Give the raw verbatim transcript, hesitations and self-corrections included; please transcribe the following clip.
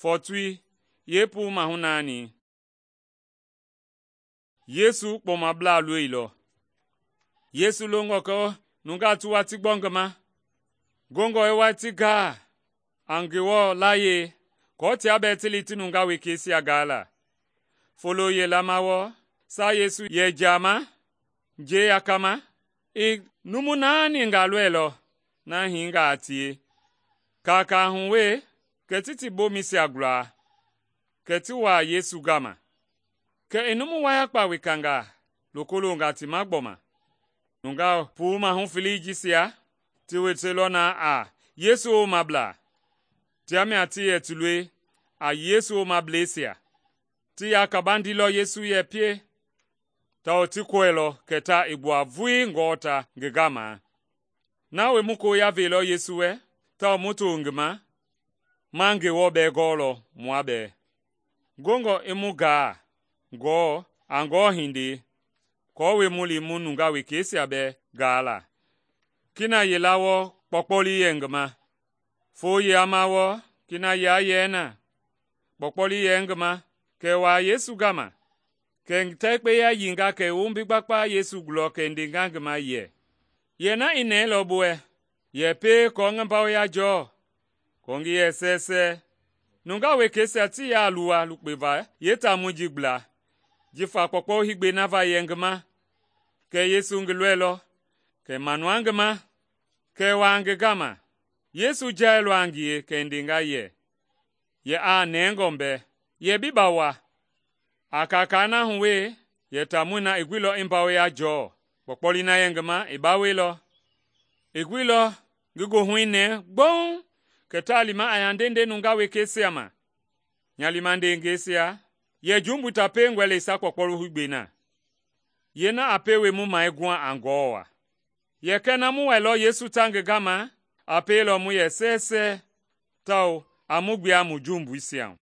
Fɔɔtoi yeepuu mahu naani. Yesu kpɔmablaa loilɔ. Yesu longɔ kɛ nungaa ti watii gbɔ ngi ma, gongɔ i watii gaa a Ngewɔ layie aako tia bɛɛ ti li ti nungaa wekeisia gaa la. Folo yila ma wɔɔ, saa Yesu yɛ jiama njɛi yakama, i numu naaniingaa lɔilɔ na hiingaa a tie. Kaakaa hu wee, kɛ ti ti bomɛisia gulaa, kɛ ti wuaa Yesu gama. Kɛ i numu wayakpa wekangaa loko longa ti ma gbɔma. Nungaa puu mahu felei jisia ti woteilɔ na a Yesu womablaa. Tia mia ti yɛ ti loi a Yesu womableisia. Ti yaa kabandilɔ Yesu yɛ pie, tawao ti kɔɛilɔ kɛ ta i gbua vulii ngɔɔta ngi gama. Na wie mu koya veilɔ Yesu wɛ, tawao mu to ngi ma, ma Ngewɔ bɛɛ gɔɔlɔ mua bɛɛ. Gongɔ i mu gaa gɔɔ a Ngewɔ hindei, aako mu li mu nungaa wekeisia bɛɛ gaa la. Kina yila wɔɔ kpɔkpɔlii yɛ ngi ma. Foo yeyama wɔɔ kina yia yɛɛ na. Kpɔkpɔlii yɛ ngi ma, kɛ i waa Yesu gama. Kɛ ngi tɛkpeya yiinga kɛ i wombi gbakpa Yesu gulɔ kɛ i ndenga ngi ma yɛ, “Yɛ na i nɛɛlɔ bi wɛ? Yɛ pie aako ngi bawoya jɔɔ, aako ngi yɛ sɛɛsɛɛ.” Nungaa wekeisia tii yaa luwa lukpeva yeetaamɔi ji gbla, jifa kpɔkpɔ higbee na va yɛ ngi ma. Kɛ Yesu ngi lɔilɔ, kɛ i manua ngi ma, kɛ i waa ngi gama. Yesu jailɔ a ngie kɛ i ndenga yɛ, “Yɛ aa nɛngɔ mbɛ, yɛ bi bawoa.” A kaakaa na hu wee, yɛ taamɔi na i guilɔ i bawoya jɔɔ. Kpɔkpɔlii na yɛ ngi ma i bawoilɔ. I guilɔ ngi goohui nɛɛ gbɔuŋ, kɛ taa lima a yandende nungaa wekeisia ma. Nya limandengeisia, yɛ jumbui ta piengɔe le sa kpɔkpɔli higbee na. Yeena a pie we mu mai guha a Ngewɔ waa. Yɛ kɛ na mu wɛilɔ Yesu ta ngi gama, a pielɔ mu yɛ sɛɛsɛɛ, tawao a mu gbua mu jumbuisia hu.